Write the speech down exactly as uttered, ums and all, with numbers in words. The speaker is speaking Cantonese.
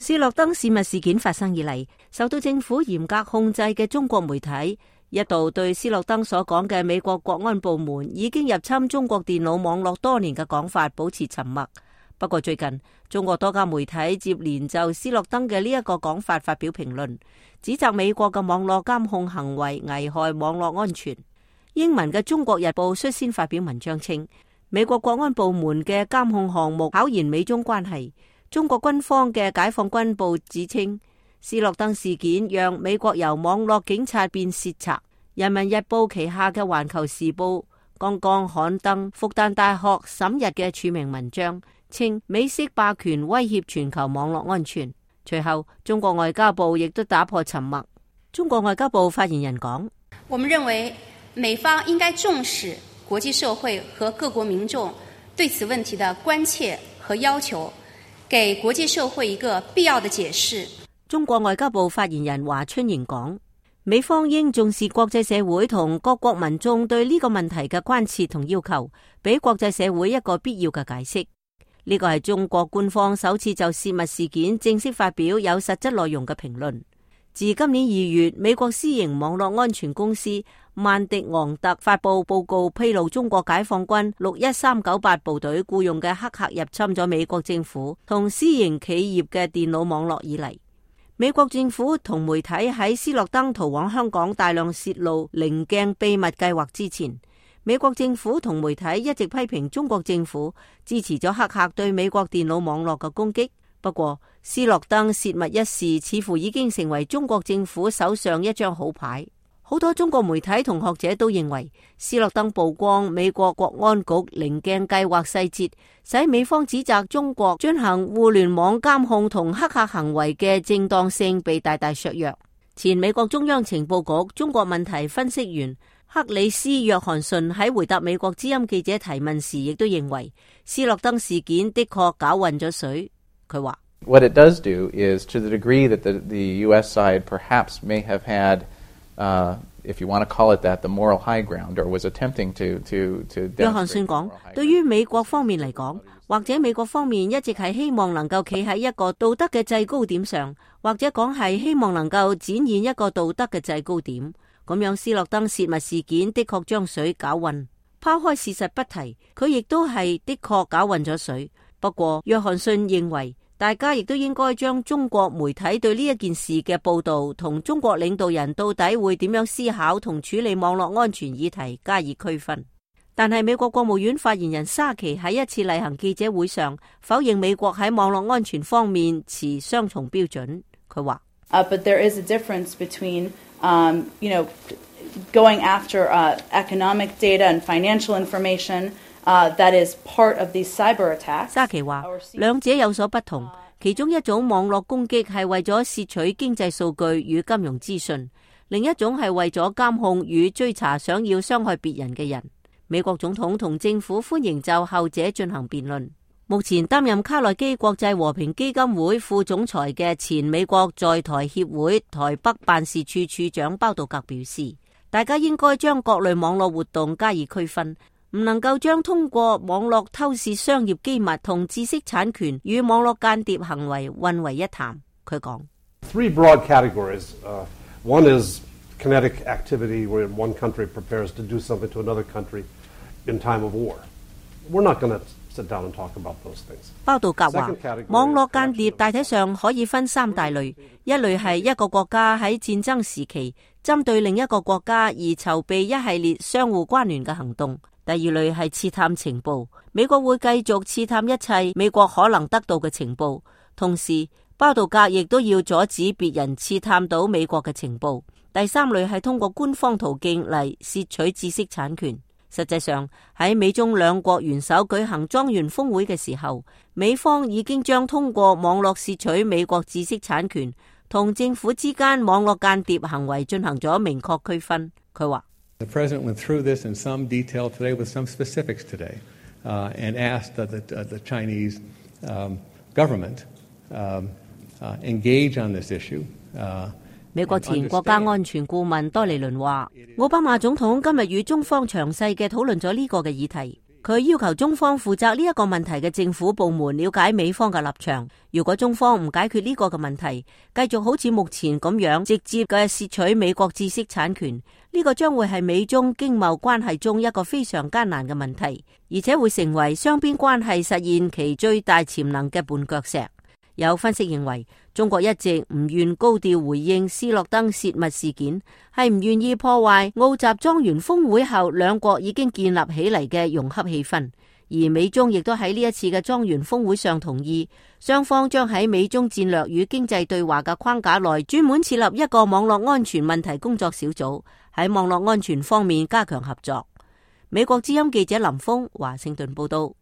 斯諾登泄密事件發生以嚟，受到政府嚴格控制嘅中國媒體一度對斯諾登所講嘅美國國安部門已經入侵中國電腦網絡多年嘅講法保持沉默。不過最近，中國多家媒體接連就斯諾登嘅呢一個講法發表評論，指責美國嘅網絡監控行為危害網絡安全。英文嘅《中國日報》率先發表文章稱，美國國安部門嘅監控項目考驗美中關係。中國軍方嘅解放軍報指稱，斯諾登事件讓美國由網絡警察變竊賊。人民日報旗下嘅環球時報剛剛刊登復旦大學審日嘅署名文章，稱美式霸權威脅全球網絡安全。隨後，中國外交部亦都打破沉默。中國外交部發言人講：我們認為美方應該重視國際社會和各國民眾對此問題的關切和要求，給國際社會一個必要的解釋。中國外交部發言人華春瑩講：美方應重視國際社會同各國民眾對呢個問題嘅關切同要求，俾國際社會一個必要嘅解釋。呢個係中國官方首次就泄密事件正式發表有實質內容嘅評論。自今年二月，美國私營網絡安全公司曼迪昂特發布報告，披露中國解放軍六一三九八部隊僱用嘅黑客入侵咗美國政府同私營企業嘅電腦網絡以嚟，美國政府同媒體喺斯諾登逃往香港大量泄露稜鏡秘密計劃之前，美國政府同媒體一直批評中國政府支持咗黑客對美國電腦網絡嘅攻擊。不過，斯諾登泄密一事似乎已經成為中國政府手上一張好牌。好多中國媒體同學者都認為，斯諾登曝光美國國安局稜鏡計劃細節，使美方指責中國進行互聯網監控同黑客行為嘅正當性被大大削弱。前美國中央情報局中國問題分析員克里斯約翰遜喺回答美國之音記者提問時，亦都認為斯諾登事件的確攪混咗水。佢話：What it does do is, to the degree that the, the U S side perhaps may have had, uh, if you want to call it that, the moral high ground, or was attempting to to to. 約翰遜講，對於美國方面嚟講，或者美國方面一直係希望能夠企喺一個道德嘅制高點上，或者講係希望能夠展現一個道德嘅制高點。咁樣斯諾登泄密事件的確將水攪混。拋開事實不提，佢亦都係的確攪混咗水。不過，約翰遜認為，大家亦都應該將中國媒體對呢一件事嘅報導同中國領導人到底會點樣思考同處理網絡安全議題加以區分。但係美國國務院發言人沙奇喺一次例行記者會上否認美國喺網絡安全方面持雙重標準。佢話：Uh, but there is a difference between, um, you know, going after uh, economic data and financial information. Uh, that is part of these cyber attacks. 沙奇話，兩者有所不同。其中一種網絡攻擊係為咗竊取經濟數據與金融資訊，另一種係為咗監控與追查想要傷害別人嘅人。美國總統同政府歡迎就後者進行辯論。目前擔任卡內基國際和平基金會副總裁嘅前美國在台協會台北辦事處處長包道格表示，大家應該將各類網絡活動加以區分。唔能夠將通過網絡偷竊商業機密同知識產權與網絡間諜行為混為一談。佢講：Three broad categories. Uh, one is kinetic activity where one country prepares to do something to another country in time of war. We're not going to sit down and talk about those things. 包道格話，網絡間諜大體上可以分三大類，一類係一個國家喺戰爭時期針對另一個國家而籌備一系列相互關聯嘅行動。第二類係刺探情報，美國會繼續刺探一切美國可能得到嘅情報，同時包道格亦都要阻止別人刺探到美國嘅情報。第三類係通過官方途徑嚟竊取知識產權。實際上喺美中兩國元首舉行莊園峰會嘅時候，美方已經將通過網絡竊取美國知識產權同政府之間網絡間諜行為進行咗明確區分。佢話：The president went through this in some detail today with some specifics today, uh, and asked that the, uh, the Chinese um, government um, uh, engage on this issue. Uh, 美國前國家安全顧問多尼倫話：奧巴馬總統今日與中方詳細嘅討論咗呢個嘅議題。佢要求中方負責呢一個問題嘅政府部門了解美方嘅立場。如果中方唔解決呢個嘅問題，繼續好似目前咁樣直接嘅竊取美國知識產權，呢個將會係美中經貿關係中一個非常艱難嘅問題，而且會成為雙邊關係實現其最大潛能嘅絆腳石。有分析認為，中國一直唔願高調回應斯諾登洩密事件，係唔願意破壞澳習莊園峰會後兩國已經建立起嚟嘅融洽氣氛。而美中亦都喺呢一次嘅莊園峰會上同意，雙方將喺美中戰略與經濟對話嘅框架內專門設立一個網絡安全問題工作小組，喺網絡安全方面加強合作。美國之音記者林峰華盛頓報道。